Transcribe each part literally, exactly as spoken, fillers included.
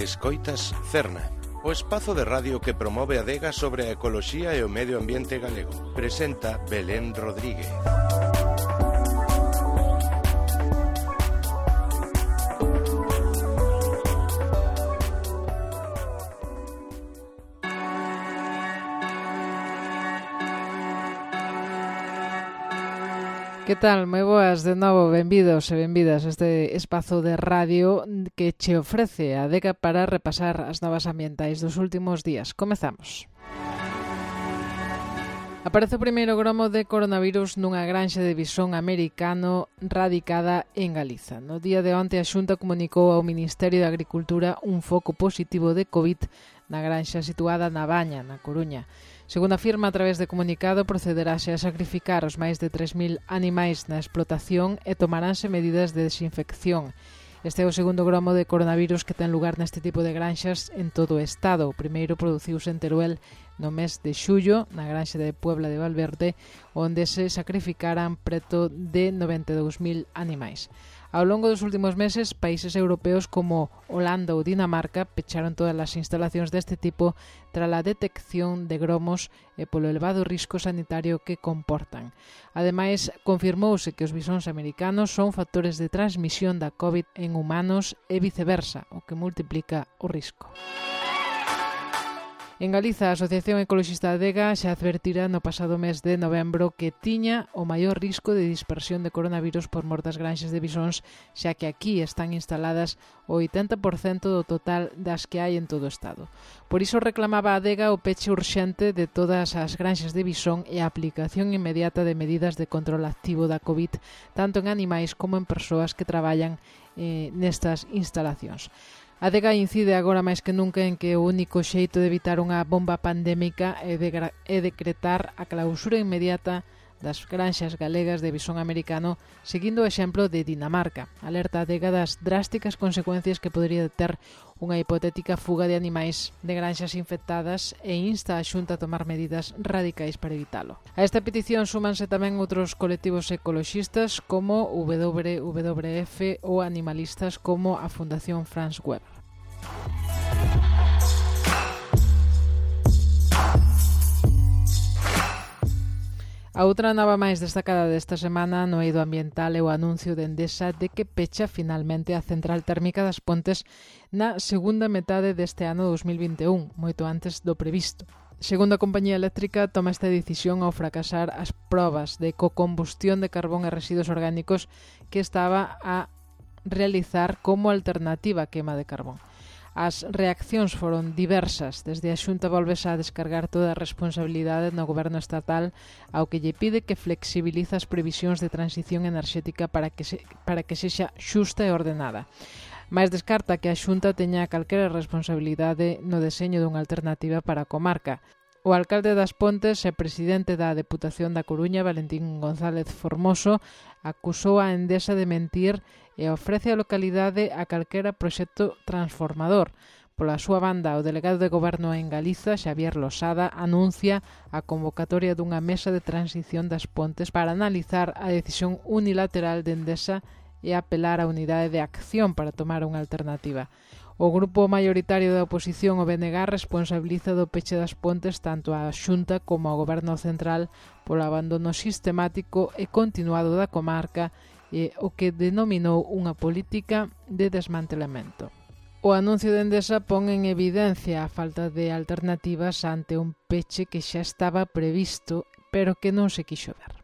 Escoitas Cerna, o espazo de radio que promove a adega sobre a ecoloxía e o medio ambiente galego. Presenta Belén Rodríguez. Que tal? Moi boas de novo, benvidos e benvidas a este espazo de radio que che ofrece a adega para repasar as novas ambientais dos últimos días. Comezamos. Aparece o primeiro gromo de coronavirus nunha granxa de visón americano radicada en Galiza. No día de onte a Xunta comunicou ao Ministerio de Agricultura un foco positivo de COVID na granxa situada na Baña, na Coruña. Segundo afirma a través de comunicado, procederase a sacrificar os máis de tres mil animais na explotación e tomaránse medidas de desinfección. Este é o segundo gromo de coronavirus que ten lugar neste tipo de granxas en todo o estado. O primeiro produciuse en Teruel no mes de xullo, na granxa de Puebla de Valverde, onde se sacrificaran preto de noventa e dous mil animais. Ao longo dos últimos meses, países europeos como Holanda ou Dinamarca pecharon todas as instalacións deste tipo tras a detección de gromos e polo elevado risco sanitario que comportan. Ademais, confirmouse que os bisóns americanos son factores de transmisión da COVID en humanos e viceversa, o que multiplica o risco. En Galiza, a Asociación Ecoloxista Adega xa advertira no pasado mes de novembro que tiña o maior risco de dispersión de coronavirus por mor das granxas de bisóns, xa que aquí están instaladas o oitenta por cento do total das que hai en todo o estado. Por iso reclamaba a Adega o peche urxente de todas as granxas de bisón e a aplicación inmediata de medidas de control activo da COVID, tanto en animais como en persoas que traballan eh, nestas instalacións. A Adega incide agora máis que nunca en que o único xeito de evitar unha bomba pandémica é, de, é decretar a clausura inmediata das granxas galegas de bisón americano, seguindo o exemplo de Dinamarca. Alerta a Adega das drásticas consecuencias que podría ter unha hipotética fuga de animais de granxas infectadas e insta a Xunta a tomar medidas radicais para evitalo. A esta petición súmanse tamén outros colectivos ecoloxistas como W W F ou animalistas como a Fundación Franz Weber. A outra nova máis destacada desta semana no eido ambiental é o anuncio de Endesa de que pecha finalmente a central térmica das Pontes na segunda metade deste ano dos mil vinte e un, moito antes do previsto. Segundo a compañía eléctrica, toma esta decisión ao fracasar as probas de cocombustión de carbón e residuos orgánicos que estaba a realizar como alternativa á queima de carbón. As reaccións foron diversas. Desde a Xunta volvese a descargar toda a responsabilidade no goberno estatal, ao que lle pide que flexibiliza as previsións de transición enerxética para que, se, para que sexa xusta e ordenada. Mais descarta que a Xunta teña calquera responsabilidade no deseño dunha alternativa para a comarca. O alcalde das Pontes e presidente da Deputación da Coruña, Valentín González Formoso, acusou a Endesa de mentir e ofrece a localidade a calquera proxecto transformador. Pola súa banda, o delegado de Goberno en Galiza, Xavier Losada, anuncia a convocatoria dunha mesa de transición das Pontes para analizar a decisión unilateral de Endesa e apelar á unidade de acción para tomar unha alternativa. O grupo maioritario da oposición, o B N G, responsabiliza do peche das Pontes tanto á Xunta como ao Goberno Central polo abandono sistemático e continuado da comarca e o que denominou unha política de desmantelamento. O anuncio de Endesa pon en evidencia a falta de alternativas ante un peche que xa estaba previsto, pero que non se quixo ver.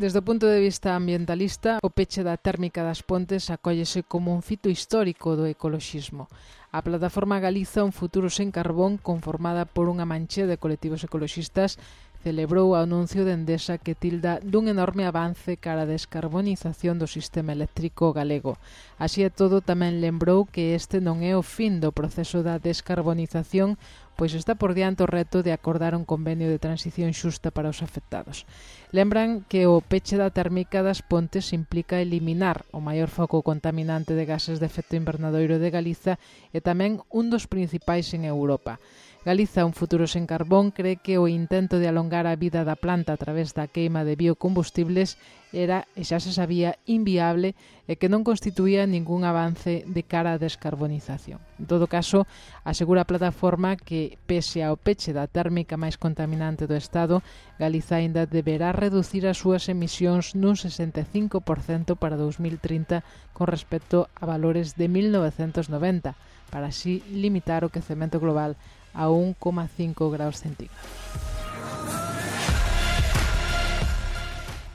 Desde o punto de vista ambientalista, o peche da térmica das Pontes acóllese como un fito histórico do ecoloxismo. A plataforma Galiza Un Futuro Sen Carbón, conformada por unha manchea de colectivos ecoloxistas, celebrou o anuncio de Endesa que tilda dun enorme avance cara a descarbonización do sistema eléctrico galego. Así e todo, tamén lembrou que este non é o fin do proceso da descarbonización, pois está por diante o reto de acordar un convenio de transición xusta para os afectados. Lembran que o peche da térmica das pontes implica eliminar o maior foco contaminante de gases de efecto invernadoiro de Galiza e tamén un dos principais en Europa. Galiza, un futuro sen carbón, cree que o intento de alongar a vida da planta a través da queima de biocombustibles era, e xa se sabía, inviable e que non constituía ningún avance de cara á descarbonización. En todo caso, asegura a plataforma que, pese ao peche da térmica máis contaminante do Estado, Galiza aínda deberá reducir as súas emisións nun sesenta e cinco por cento para dous mil trinta con respecto a valores de mil novecentos noventa, para así limitar o quecemento global a un coma cinco graus centígrados.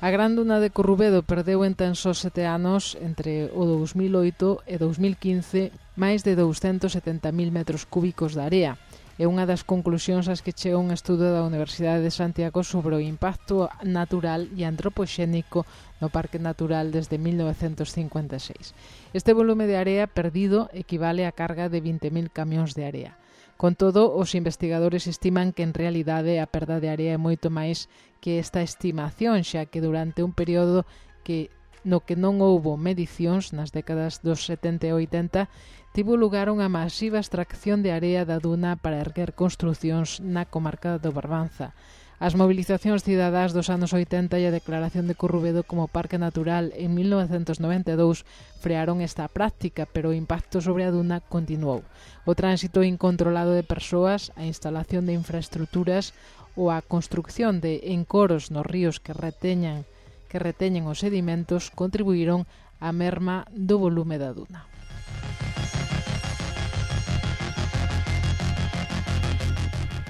A gran duna de Corrubedo perdeu en tan só sete anos, entre o dous mil oito e dous mil quince, máis de douscentos setenta mil metros cúbicos de area. É unha das conclusións ás que chega un estudo da Universidade de Santiago sobre o impacto natural e antropoxénico no Parque Natural desde mil novecentos cincuenta e seis. Este volume de area perdido equivale á carga de vinte mil camións de area. Con todo, os investigadores estiman que en realidade a perda de area é moito máis que esta estimación, xa que durante un período que no que non houbo medicións nas décadas dos setenta e oitenta, tivo lugar unha masiva extracción de area da duna para erguer construcións na comarca do Barbanza. As movilizacións cidadás dos anos oitenta e a declaración de Corrubedo como parque natural en mil novecentos noventa e dous frearon esta práctica, pero o impacto sobre a duna continuou. O tránsito incontrolado de persoas, a instalación de infraestructuras ou a construcción de encoros nos ríos que reteñan, que reteñen os sedimentos contribuíron á merma do volume da duna.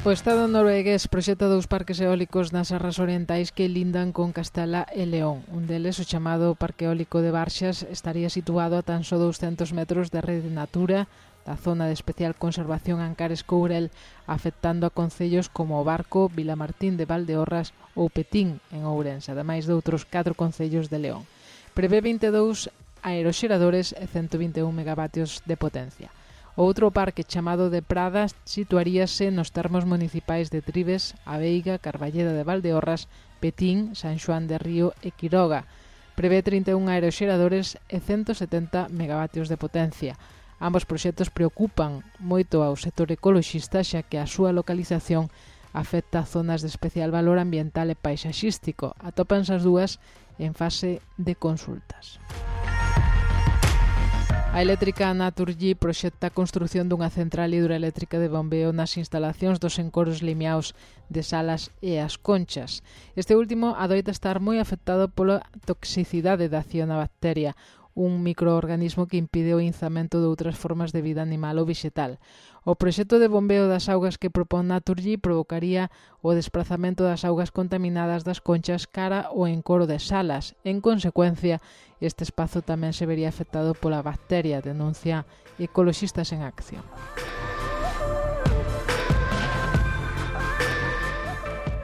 O Estado noruegués proxecta dous parques eólicos nas serras orientais que lindan con Castela e León. Un deles, o chamado Parque Eólico de Barxas, estaría situado a tan só douscentos metros da rede Natura, da zona de especial conservación Ancares Courel, afectando a concellos como o Barco, Vilamartín de Valdeorras ou Petín, en Ourense, ademais de outros catro concellos de León. Prevé vinte e dous aeroxeradores e ciento vinte e un megavatios de potencia. Outro parque chamado de Pradas situaríase nos termos municipais de Tribes, A Veiga, Carballeda de Valdeorras, Petín, San Xoán de Río e Quiroga. Prevé trinta e un aeroxeradores e ciento setenta megavatios de potencia. Ambos proxectos preocupan moito ao sector ecoloxista, xa que a súa localización afecta a zonas de especial valor ambiental e paisaxístico. Atópanse as dúas en fase de consultas. A eléctrica Naturgy proxecta a construción dunha central hidroeléctrica de bombeo nas instalacións dos encoros limiaos de Salas e As Conchas. Este último adoita estar moi afectado pola toxicidade da cianobacteria, un microorganismo que impide o inzamento de outras formas de vida animal ou vegetal. O proxecto de bombeo das augas que propón Naturgy provocaría o desplazamento das augas contaminadas das Conchas cara ao encoro de Salas. En consecuencia, este espazo tamén se vería afectado pola bacteria, denuncia Ecoloxistas en Acción.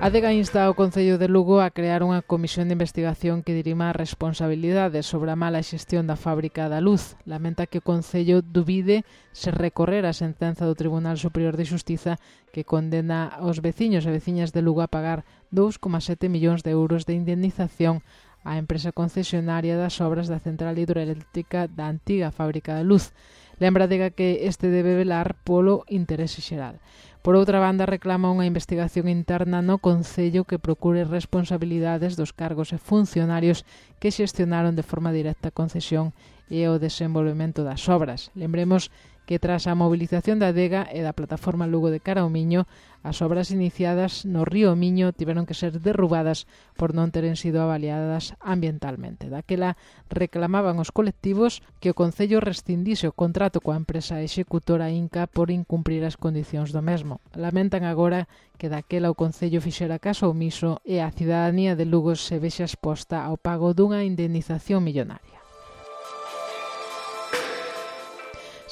A Adega insta ao Concello de Lugo a crear unha comisión de investigación que dirima as responsabilidades sobre a mala xestión da fábrica da luz. Lamenta que o Concello dubide se recorrer a sentenza do Tribunal Superior de Xustiza que condena aos veciños e veciñas de Lugo a pagar dous coma sete millóns de euros de indemnización á empresa concesionaria das obras da central hidroeléctrica da antiga fábrica da luz. Lembra Adega que este debe velar polo interese xeral. Por outra banda, reclama unha investigación interna no Concello que procure responsabilidades dos cargos e funcionarios que xestionaron de forma directa a concesión e o desenvolvemento das obras. Lembremos que tras a movilización da Adega e da plataforma Lugo de cara ao Miño, as obras iniciadas no río Miño tiveron que ser derrubadas por non teren sido avaliadas ambientalmente. Daquela reclamaban os colectivos que o Concello rescindise o contrato coa empresa executora Inca por incumprir as condicións do mesmo. Lamentan agora que daquela o Concello fixera caso omiso e a cidadanía de Lugo se vexa exposta ao pago dunha indemnización millonaria.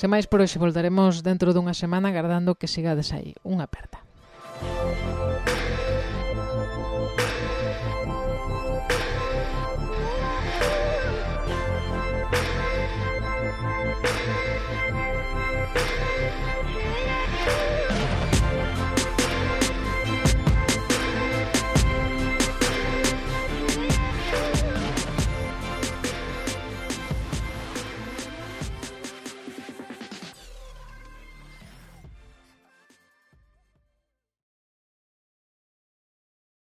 Sen máis por hoxe, voltaremos dentro dunha semana agardando que sigades aí. Unha aperta.